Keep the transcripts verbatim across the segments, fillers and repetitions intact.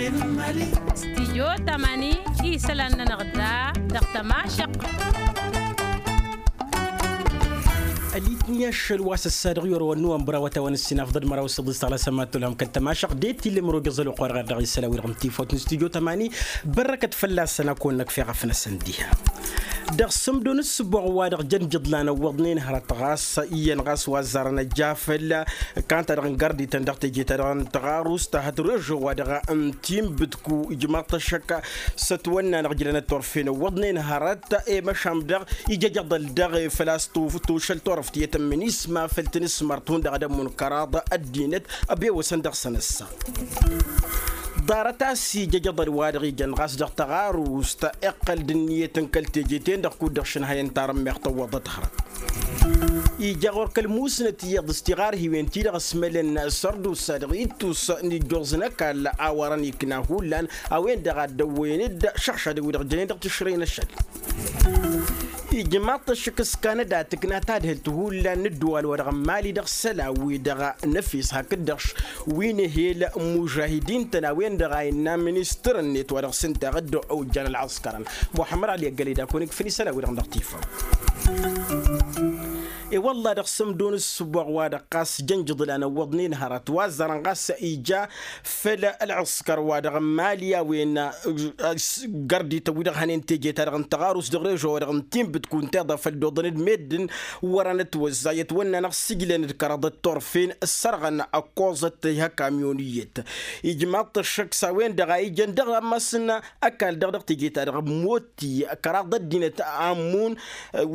Stijyo tamani isălan-nănăɣ da dăɣ-tămašăɣt. Ălitni ašăl wa s-ăssa dăɣ-yorowen n-uwănbăr awătawăn ǝssin afḍăd măraw s-ǝḍis tăɣlasăn ma t-tolhăm kăl-tămašăɣt de t-ille mărogăẓ ălwăqq wa dăɣ-dăɣ isălan wi-dăɣ n-tifawt n-stijyo tamani. Bărrăkăt fălla-săn ad-kăwăn-năkf i-ɣăf-năsăn diha dăɣ-sǝmdo n-ǝssǝboɣ wa dăɣ-jăn jǝḍlan ăwwăḍnen hărăt ɣas iyyăn ɣas wa ăzzarăn ăjja făll-kanta-dăɣ n-gărdităn dăɣ-teje-ta-dăɣ n-tăɣarust hăt režo wa dăɣ-n timbǝtku ijmaḍ-t ăššăk s-ătwănna-năɣ jǝlăn ăttorfen ăwwăḍnen hărăt i-măšan dăɣ-ijăjăḍăl dăɣ-e făl-a-s tušăl turăft iyyăt n-minisma făll-tinǝsmărt hundăɣ ad-ămmun kăraḍ ăddinăt ăbewăsăn dăɣ-săn ăssa. Ḍarăt a-s ijăjăḍăl wa dăɣ-ijăn ɣas dăɣ-tăɣarust iqqăl d-ǝnniyăt n-kăl-teje-ten-dăɣ kud-dăɣ šǝnhăyăn tarǝmmeɣt ăwwăḍăt hărăt. Ija ɣur-kăl-musnăt iyyăḍ s-tiɣarhiwen-ti-dăɣ ăsmălăn sărdusa dăɣ-ittus n-ijjoẓ n-ăkall a wărăn ikna hullan a-wen-dăɣ a dd-ăwwăyăn-dd šăɣšadăn wi-dăɣ jănen dăɣ-tišrăy n-ašăl. Ijmaḍ-t ăššăk s-kanăda tǝkna tadhǝlt hullan n-ǝddǝwal wa dăɣ-mali dăɣ-isălan-wi-dăɣ n-efes hakd-dăɣ wi n-ehel n-mužahidin-tăn a-wen-dăɣ a innă ministăr-net wa dăɣ-s ǝnta dd-ojjan ălɣăskărăn muḥămmăd ăli ăggăled a kăwăn-ikfǝn isălan-wi-dăɣ dăɣ-tifaw. I-wălla dăɣ-sămdo n-ǝssǝboɣ wa dăɣ-ɣas jăn jǝḍlan ăwwăḍnen hărăt wa ăzzarăn ɣas ija făll-ălɣăskăr wa dăɣ-mali a-wen gărdităn wi-dăɣ hănen teje-ta-dăɣ n-tăɣarus dăɣ-režo wa dăɣ-n tinbǝt kunta iḍa făll-dd-oḍăn d-meddǝn wăr-anătwăzza i-ătwănna-năɣ s-ǝjlăn d-kăraḍăt turfen ǝssărɣăn ăkkoẓăt i-hăkamyon iyyăt. Ijmaḍ-t ăššăk s-a-wen-dăɣ a ijăn dăɣ-ammas n-ăkall-dăɣ dăɣ-teje-ta-dăɣ n-motti kăraḍ ăddinăt a ămmun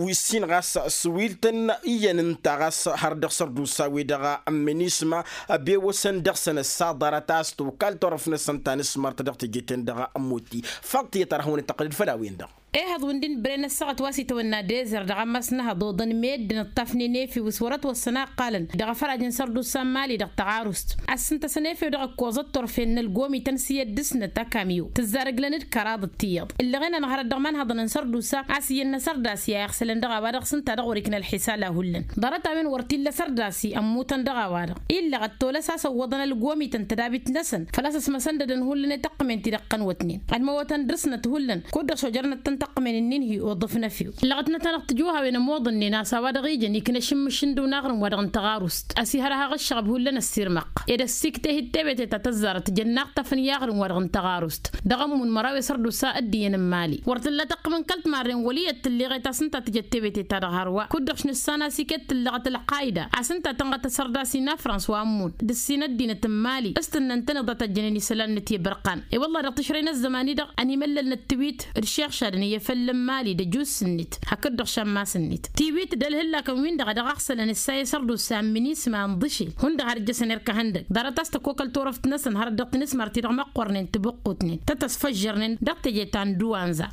wi ǝssin ɣas s-wi ǝltăn iyyăn ǝnta ɣas har dăɣ-sărdusa-wi-dăɣ n-minisma ăbewăsăn dăɣ-săn ăssa ḍarăt a-s tokal turăft-năsăn ta n-asmart dăɣ-teje-ten-dăɣ n-motti. Faḍt tiyyăt ar hawăn-dd-tăqqǝlăd făll-a-wen-dăɣ. Ehăḍ wi n-din bren ăssaɣăt wa s-itawănna dezer dăɣ-ammas n-ehăḍ oḍăn meddǝn ǝṭṭafnen efew s-wăr-ătwăssăn a ǝqqalăn dăɣ-afăraj n-sărdusa n-mali dăɣ-tăɣarust a-s ǝnta a-s ănefew dăɣ-ǝkkoẓăt turfen n-ălgomităn s-iyyăt dăɣ-snăt ăkam iyyăw tǝzzar ǝglăn-dd kăraḍăt tiyyăḍ ǝllăɣen-anăɣ hărăt dăɣ-imanhăḍăn n-sărdusa a-s iyyăn n-asărdasi a iɣsălăn dăɣ-a-wa-dăɣ s-ǝnta dăɣ-wăr-ikna ălḥisal a hullan ḍarăt-a-wen wăr t-illa asărdasi ămmutăn dăɣ-a-wa-dăɣ illăɣ ăttolăs a-s ăwwăḍăn ălgomităn tădabit-năsăn făl-a-s ăsmăsăn-dd ad-ănhullăn i-taqqǝmen-ti-dăɣ tăn-wătnen ădmăwătăn dăr-snăt hullan kud-dăɣ šojărnăt-tăn taqqǝmen-nin-hi uḍǝf n-efew ǝllăɣătnăt-anăɣ tǝjuhawen ămoḍănnen a-s a-wa-dăɣ ijăn ikna ašǝmmǝš n-dd-unaɣrǝm wa dăɣ-n-tăɣarust ăsihărăhăɣ ǝššăɣăb hullan ăssirmăqq ed ăssiktehǝd tebete ta tăzzarăt jănnaɣ-t afǝn i-aɣrǝm wa dăɣ-n tăɣarust dăɣ-ămmun măraw i-sărdusa ăddiyăn n-mali wăr t-ǝlla taqqǝm n-kăl-timarren wăl' iyyăt tǝlleɣet a-s ǝnta tǝjăt tebete-ta-dăɣ hărwa kud-dăɣ š-nǝssan a-s iket tǝllăɣăt ălqayda a-s ǝnta tănɣăt asărdas-i n-afrans wa ămmun d-ǝssin ăddinăt n-mali s-tǝnnăn-tăn iḍa tăjjănen isălan-net i-bărqan. I-wălla-hi dăɣ-tǝšrăy n-ăzzăman-i-dăɣ ănimăllălnăt tiwit d-išixšadăn i-efăll n-mali d-ăjus-net hakd-dăɣ šămmas-net tiwit d-ălhǝllakăn-win-dăɣ a dăɣ-aɣsălăn ǝssa i-sărdusa n-minisma ănḍǝšel hundăɣ har ǝjjăsăn erk ehăndăg ḍarăt a-s tăkokăl turăft-năsăn hărăt dăɣ-tinǝsmar-ti-dăɣ măqqornen tǝbǝqqutnen tăt-ăsfăžžărnen dăɣ-teje ta n-duwanza.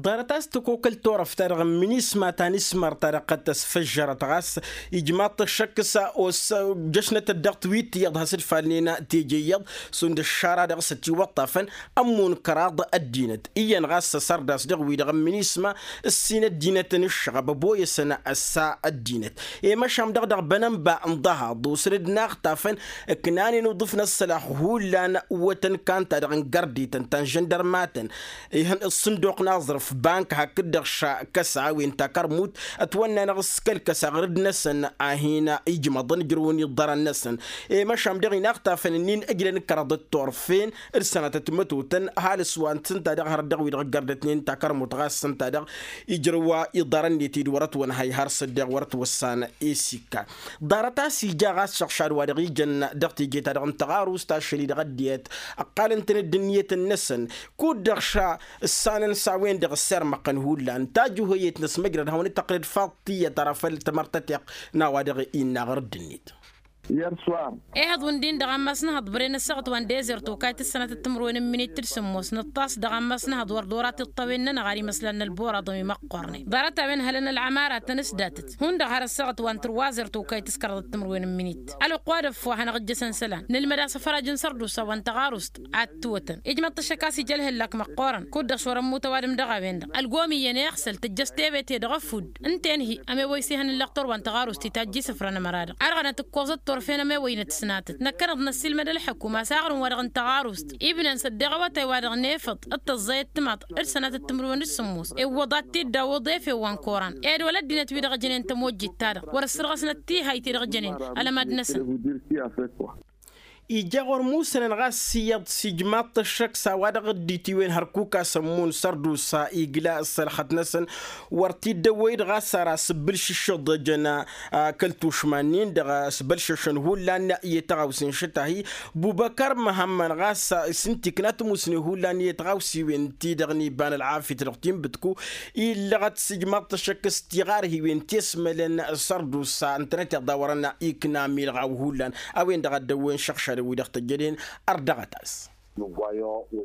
Ḍarăt a-s tăkokăl turăft-ta-dăɣ n-minisma ta n-ismar-ta-dăɣ qăd tăsfăžžărăt ɣas ijmaḍ-t ăššăk s-a-s ojjăšnăt-dd dăɣ-tiwit iyyăḍ has-dd-falnen teje iyyăḍ šund ăššara dăɣ-s ătiwăṭṭafăn ămmun kăraḍ ăddinăt iyyăn ɣas asărdas dăɣ-wi-dăɣ n-minisma ǝssin ăddinăt n-ǝššăɣăb ăboyăsăn ăssa ăddinăt i-măšan dăɣ-dăɣ bănănba n-ḍahaḍ osăn-dd naɣtafăn ǝknanen uḍǝf n-ăssălax hullan wătăn kan-ta-dăɣ n-gărdităn ta n-žăndărmatăn ihăn ǝssǝnduq n-aẓrǝf bank hakd-dăɣ ša kăsa a-wen takărmut ătwănna-năɣ s-kăl-kăsa ɣǝr-dd-năsăn a hin-ijmăḍăn ǝjrǝwăn iḍărăn-năsăn i-măšan dăɣ-inaɣtafăn-ǝnnin ǝjrăn kăraḍăt turfen d-sănatăt mătotăn ăhalǝs wa n-tǝnta dăɣ-hărăt dăɣ-wi-dăɣ ǝggărdătnen takărmut ɣas s-ǝnta dăɣ-ijrǝw iḍărăn-net-dd wăr-ătwănhăy har s-ăddeɣ wăr-ătwăssan i-s ikka. Ḍarăt a-s ija ɣas šăɣšad wa dăɣ-ijăn dăɣ-teje-ta-dăɣ n-tăɣarust ašăl-i-dăɣ ăddinăt ǝqqalăn-tăn-dd ǝnniyăt-năsăn kud-dăɣ ša ǝssanăn s-a-wen-dăɣ ăssirmăqqăn hullan tajuhăyet n-ăsmăjrăd hawăn-dd-tăqqǝlăd faḍ tiyyăt ara făll-tamărtăteɣt n-a-wa dăɣ-innă ɣur-dd-net. Ihăḍ wi n-din-dăɣ ammas n-ehăḍ bren ăssaɣăt wa n-dezer tokayt s-sănatăt timǝrwen n-minit d-sǝmmos nǝṭṭas dăɣ-ammas n-ehăḍ wăr dd-orat iṭṭăwen-nănăɣ ar imăslan n-ălboraḍăn wi măqqornen ḍarăt-a-wen hălăn ălɣămaratăn s-datăt hundăɣ har ăssaɣăt wa n-tǝrwazer tokayt s-kăraḍăt timǝrwen n-minit ălwăqq wa d-ăffo a hanăɣ-ǝjjăsăn isălan nǝlmăd a-s afăraj n-sărdusa wa n-tăɣarust ad-t-wătăn ijmăḍ-t ăššăk a-s ija ălhǝllak măqqoorăn kud-dăɣ s-wăr-ămmut ăwadǝm dăɣ-a-wen-dăɣ ălgom iyyăn i-iɣsăl tǝjjăš tebete dăɣ-ăfudd ǝnta-en-hi ămewăy s-ihăn n-lăqtor wa n-tăɣarust itajj isǝfrăn ămăra-dăɣ ărɣănăt ǝkkoẓăt. Wăr fen ămewăynăt s-natăt năkkăneḍ năssiilmăd ălḥăkum a-s aɣrǝm-wa-dăɣ n-taɣarust ibnen s-ăddeɣ awătay-wa-dăɣ n-efăḍ d-tăẓẓayăt timaḍt d-sănatăt timǝrwen d-sǝmmos iwwăḍ ad-t-dd-awǝḍ efew wa n-koran ed wăla ăddinăt-wi-dăɣ ăjănen tămojjit-ta-dăɣ wăr-ăssărɣăsnăt tihayt-i-dăɣ jănen ălămad-năsăn. Ija ɣur-musănăn ɣas iyyăḍ s-ijmaḍ-t ăššăk s-a-wa-dăɣ dd-itiwen hărkuk a-s ămmun sărdusa igla ăssălxăt-năsăn. Wăr t-dd-ăwwăy-dd ɣas ar asǝbbǝlšǝššǝḍ ăjăn kăl-tušma-nin-dăɣ s-bălšăšăn hullan i-tăɣawse n-išǝtahi. Bubăkăr măhămmăn ɣas s-ǝnta ikna tămusne hullan i-tăɣawsiwen-ti-dăɣ n-iba n-ălɣafyăt dăɣ-tinbǝtku illăɣăt s-ijmaḍ-t ăššăk s-tiɣarhiwen ti ăsmălăn sărdusa ǝntănăteḍ a wărăn ikna milɣaw hullan. A-wen-dăɣ a dd-ăwwen šăɣšadăn-wi-dăɣ tăjjănen ărdăɣăt-as.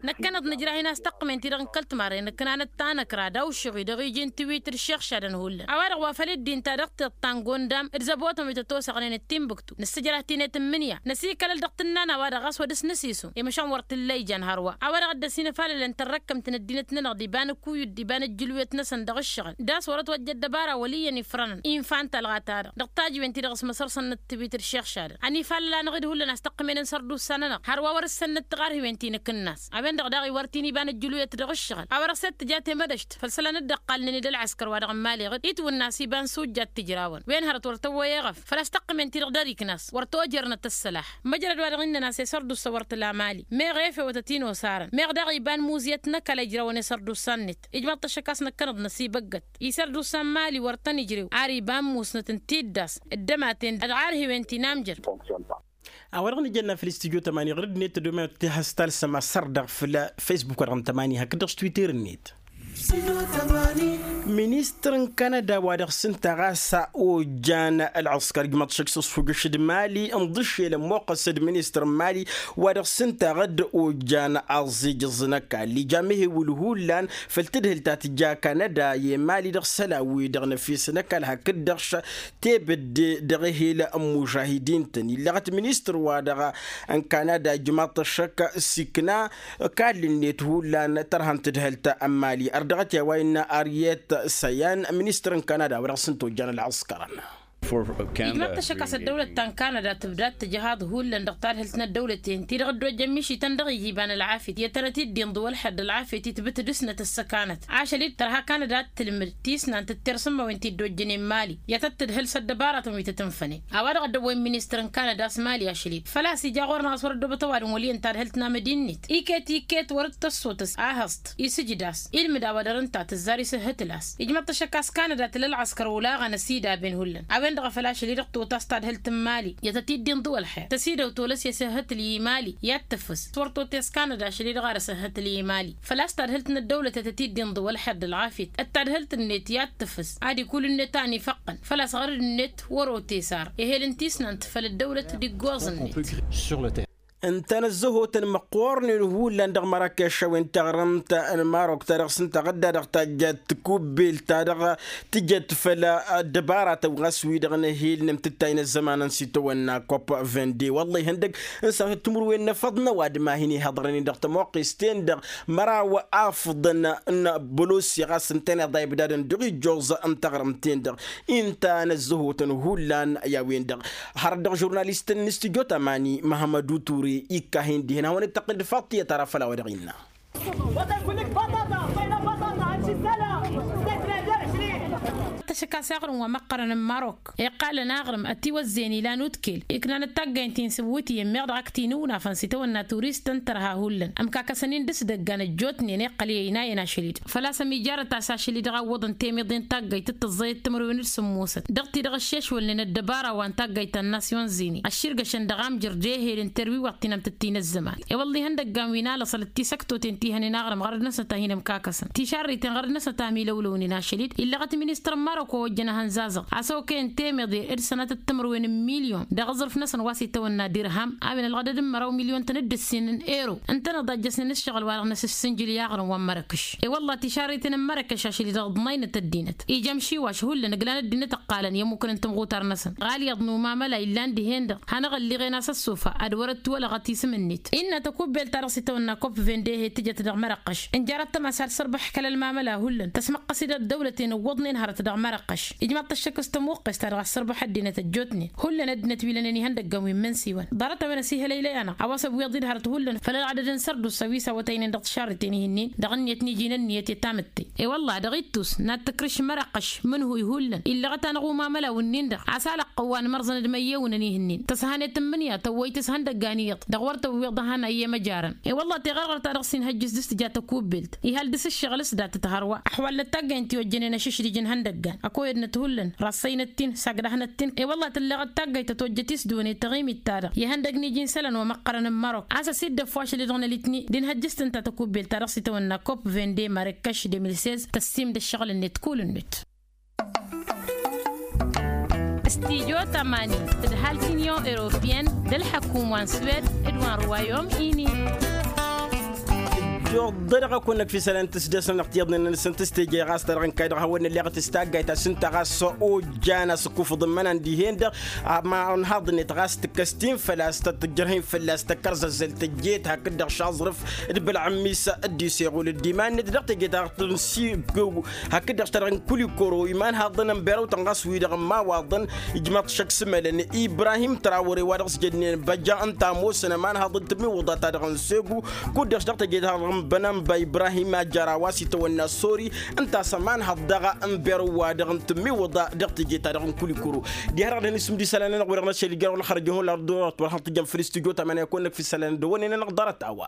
Năkkăneḍ nǝjrah-in a-s tăqqǝmen-ti-dăɣ n-kăl-timarre nǝknanăt tanăkra d-awšăɣ-i dăɣ-iji n-tiwit d-iššăɣšadăn hullan a-wa-dăɣ wa făl dd-inta dăɣ-tiṭṭa n-gondam d-zăbotăn wi tătosăɣnen d-tinbǝktu nǝssǝjrah-t-in i-tǝmmǝnǝya năsikălăl dăɣ-tǝnna n-a-wa-dăɣ ɣas wăr dăr-s năsisu i-măšan wăr t-ǝlla ijan hărwa a-wa-dăɣ a dd-ăsinăfalălăn tărrăkkămt n-ăddinăt-nănăɣ d-iba n-ǝkuyǝd d-iba n-ǝjjǝlwet-năsăn dăɣ-ǝššăɣǝl d-a-s wăr-ătwăjja ăddăbara wăl' iyyăn ifrănăn infa n-talɣa-ta-dăɣ dăɣ-tajǝwen-ti-dăɣ s-măsărsa n-ăttăbit d-iššăɣšadăn ănifalăl-anăɣ-dd hullan a-s tăqqǝmen n-sărdusa-nănăɣ hărwa wăr-ǝssănnăt tiɣarhiwen ti n-akǝnnas. A-wen-dăɣ daɣ iwar-t-in iba n-ăjjǝluyăt dăɣ-ǝššăɣǝl a wăr-ăssed tǝja temădăšt făll-isălan dd-ăqqalnen d-ălɣăskăr wa dăɣ-n mali iɣǝd itwǝnna a-s iba n-sujjat tǝjrawăn wen hărăt wăr tăwwăy eɣăf făl-a-s tăqqǝmen-ti-dăɣ dăr-iknas wăr tojărnăt ăssălaḥ. Măjrăd wa dăɣ-innăn a-s i-sărdusa wăr tǝla mali meɣ efewătăt-in osarăn meɣ daɣ iba n-muzyăt n-ăkall a ijrawăn i-sărdusa-net. Ijmăḍ-t ăššăk a-s năkkăneḍ năsibăggăt isărdusa n-mali wăr tăn-ijrew ar iba n-musnăt n-tiddas dd-ămaten d-ɣarhiwen ti n-amjăr. A-wa-dăɣ nǝjănna făll-istudyo tămani ɣur-dd-net tădomăyăt ti has-talsăm asărdăɣ făll-facebook wa dăɣ-n tămani hakd-dăɣ s-twitter-net. Ministăr n-kanada wa dăɣ-s ǝnta ɣas a ojjan ălɣǝskăr ijmăḍ šăkk s-ăsfujăš d-mali ǝnḍǝššel ămmoqqăs d-ministăr n-mali wa dăɣ-s ǝnta ɣǝd ojjan aẓijǝẓ n-ăkall ija mehewǝl hullan făll-tǝdhǝl ta tǝja kanada i-mali dăɣ-isălan-wi-dăɣ n-efes n-ăkall hakd-dăɣ tebădde dăɣ-ehel n-mužahidin-tăn illăɣăt ministăr-wa-dăɣ n-kanada ijmaḍ-t ăššăk s-ikna kall-net hullan tărha n-tǝdhǝlt n-mali ărdăɣăt i-a-wa innă aryet săyan ministăr n-kanada wa dăɣ-s n-tojjan ălɣǝskărăn. Ijmaḍ-t ăššăk a-s ăddăwlăt ta n-kanada tǝbda d-tǝjhaḍ hullan dăɣ-tadhǝlt n-ăddăwlăten ti-dăɣ dd-ojjăn mišităn dăɣ-iji iba n-ălɣafyăt i-ad-tănăt-dd-inḍǝw ălḥer d-ălɣafyăt i-tǝbǝt dăɣ-snăt ăssăkanăt ašăl-dd tărha kanada ad-tǝlmǝd tisnant d-tersǝmmawen ti dd-ojjănen mali i-ad-tăt-tǝdhǝl s-ăddăbaratăn wi tăt-ǝnfănen. A-wa-dăɣ a dd-ăwwăyăn ministăr n-kanada a-s mali ašăl-dd făl-a-s ija ɣur-năɣ a-s wăr-ăddobăt ăwadǝm wăl' iyyăn tadhǝlt n-amădin-net iket iket wăr-dd tăssotăs ahăẓt isǝjǝd-as ilmǝd a-wa dăr-ǝnta tǝzzar isǝhhǝtǝl-as. Ijmăḍ-t ăššăk a-s kanada tǝla ălɣăskăr olaɣăn ăsidabben hullan a-wen-dăɣ a făl ašăl-i-dăɣ totas tadhǝlt n-mali i-ad-tăt-dd-inḍǝw ălxer tăsidăw tolăs i-asǝhhǝtǝl i-mali i-ad-tǝfǝs wăr totes kanada ašăl-i-dăɣ ar asǝhhǝtǝl i-mali. Făl-a-s tadhǝlt n-ăddăwlăt i-ad-tăt-dd-inḍǝw ălxer d-ălɣafyăt d-tadhǝlt-net i-ad-tǝfǝs ad-ikulǝnnet a ănifăqqăn făl-a-s ɣărăd-net wăr-otes ar ehel n-tisnant făll-ăddăwlăt d-iggoẓ-net. Ǝnta n-ăzzăhotăn măqqoornen hullan dăɣ-mărakeš a-wen taɣrǝmt n-marok ta dăɣ-s ǝnta ɣǝdda dăɣ-tajjat tikubbelt ta dăɣ-tǝjăt făll-ăddăbaratăn ɣas wi-dăɣ n-ehel n-amtǝttay n-ăzzăman n-sitawănna kopp vende wălla ihăndăg n-sănatăt timǝrwen n-efăḍ n-ăwadǝm a hin-ihăḍrănen dăɣ-tămoqqes-ten-dăɣ măraw afǝḍăn n-bălosya ɣas ǝntăneḍ a ibdadăn dăɣ-ijjoẓ n-taɣrǝmt-ten-dăɣ. Inta n-ăzzăhotăn hullan i-a-wen-dăɣ hărăt dăɣ-žurnalist n-studyo tamani măhămădu ture ikka hin-dihen hawăn-dd-tăqqǝl d-faḍt tiyyăt ara făll-a-wa dăɣ-innă. Tăšăk a-s aɣrǝm wa măqqărăn n-marok iqqalăn aɣrǝm ătiwăzzeyăn ilan udkel iknanăt taggayt ti n-sǝwwǝtiyăn meɣ dăɣ-ak tinǝwnafăn s-itawănna turistăn tărha hullan ămkakăsăn-in dăr-s dăggan ăjjootnen iqqăl i-ăynayăn ašăl-dd. Făl-a-s ămijarăt a-s ašăl-i-dăɣ a ǝwwăḍăn temăḍen taggayt d-tǝẓẓăyăt timǝrwen d-sǝmmosăt dăɣ-ti-dăɣ ăššešwălnen ăddăbara wa n-taggayt ta n-nasyon zini ăšširgăšăn dăɣ-amjăr d-ehel n-terwiwăḍt ti n-amtǝttǝy n-ăzzăman. I-wălla ihăndăggan wi n-alăṣăl d-tisăktoten ti hănen aɣrǝm ɣărăd-năsnăt a hin-ămkakăsăn tišarriten ɣărăd-năsnăt a milăwlăwnen ašăl-dd illăɣăt ministăr n-marok wa ojjăn ahănzazăɣ a-s okăyăn temăḍe d-sănatăt timǝrwen n-milyon dăɣ-aẓrǝf-năsăn wa s-itawănna dirham a-wen ălɣădăd n-măraw milyon-tăn d-ǝssin n-ero ǝntăneḍ a ǝjjăsnen ǝššăɣǝl-wa-dăɣ n-asǝssǝnjǝl i-aɣrǝm wa n-mărăkăš. I-wălla tišarriten n-mărăkăš ašăl-i dăɣ-ǝḍnăynăt ăddinăt ija ămšiwaš hullan ǝglan ăddinăt ǝqqalăn i-ămmukăn n-timɣutar-năsăn ɣalyaḍ n-umamăla illan dihen-dăɣ hanăɣ-ălliɣen a-s ăssofa ad-wăr-ătwălăɣăt isǝm-net. Innă tăkubbelt-ta-dăɣ s-itawănna kopp vende he-tǝjăt dăɣ-mărăqqăš ǝnjarăt tămasa d-sărbăx kăl-ălmamăla hullan tăsmăqqăs-dd ăddăwlăten ǝwwăḍnen hărăt dăɣ-ma mărăqqăš ijmaḍ-t ăššăk s-tămuqqes-ta-dăɣ a-s sărbăḥ ăddinăt ăjjootnen. Hullan ăddinăt wi lănen ihăndăggan wi n-imǝnsi-wăn ḍarăt-a-wen ăsihălăylăy-anăɣ a-wa s-ăbwiḍ-dd hărăt hullan făll-ălɣădăd n-sărdusa wi s-awătăynen dăɣ-tišarriten ih'-ǝnnin dăɣ-ǝnniyăt n-iji n-ǝnniyăt i-tamǝtte. I-wălla-hi dăɣ-ittus n-ad-tǝkrǝš mărăqqăš mǝnhu ihullan illăɣăt-anăɣ umamălaw-ǝnnin-dăɣ a-s alăqqăw wa n-imărẓăn d-măyyewǝnăn ih'-ǝnnin tăshănet n-imǝnǝya tăwwăy-t s-ihăndăggan iyyăḍ dăɣ-wăr tăwwiḍ ehăn a iyyăm ăjarăn. I-wălla-hi teɣărɣărt-ta-dăɣ s-inhăjjǝs d-s tǝja tăkubbelt ihal dăr-s ǝššăɣǝl s-dat-tǝtharwa ăxwal n-ăttaggay n-tiwăjjănen ašǝšdǝj n-ihăndăggan ăkoyădnăt hullan rassăynăt-in sagdăhnăt-in. I-wălla-hi tǝlleɣ ăttaggay tătojjăt isdǝwăn i-taɣimit-ta-dăɣ ihăndăgg n-iji n-isălan wa măqqărăn n-mărok a-s ăsidăf wa ašăl-i-dăɣ n-alitni d-inhăjjǝs-tăn ta tăkubbelt-ta-dăɣ s-itawănna kopp vende marăkkaš de mil sez tăssimd ăššăɣǝl-net kull-net. Studyo tămani tǝdhal t-inyon europyen d-ălḥăkum wa n-swed d-wa n-ruwayom-ini. Ijjuḍ-dăɣ ăkun-năk f-isălan tǝsdăsăn ăɣtiḍnen-năsăn tǝstejăy ɣas ta dăɣ-n kayy dăɣ-hawăn-nălleɣăt s-taggayt a-s ǝnta ɣas ojjan a-s ǝkkufǝḍ n-imănan dihen-dăɣ. Amanhaḍ-net ɣas tǝkkăs-t-in făl-a-s tăt-tǝjjărhǝy fălla-s tăkkăr zăzzăl tăjjeet hakd-dăɣ šaẓrǝf d-bălɣǝm-is d-iseɣul d-iman-net dăɣ-teje ta dăɣ-tǝnsi. Hakd-dăɣ ta dăɣ-n kulikoro imanhaḍăn n-berăwtăn ɣas wi-dăɣ n-imawaḍăn ijmaḍ-t šăkk s-imălăn ibrahim trawăre wa dăɣ-s jădnen băjja ǝnta ămoosăn ămanhaḍ n-tǝmiwǝḍa ta dăɣ-n segu. Kud-dăɣ-s dăɣ-teje ta dăɣ-n bănănba ibrahim a jăra wa s-itawănna sori ǝnta a-s ămanhaḍ daɣ n-berăw wa dăɣ-n tǝmiwǝḍa dăɣ-teje ta dăɣ-n kulikoro. Diha-dăɣ dăɣ-nǝsǝm d-isălan-nănăɣ wi-dăɣ n-ašăl ijărăw lăxărăj ihun la ărdurăt wăr hăn-tǝjjăm făll-istudyo ta mănăyăkon-năk f-isălan dăɣ-wănnen-nănăɣ ḍarăt a-wa.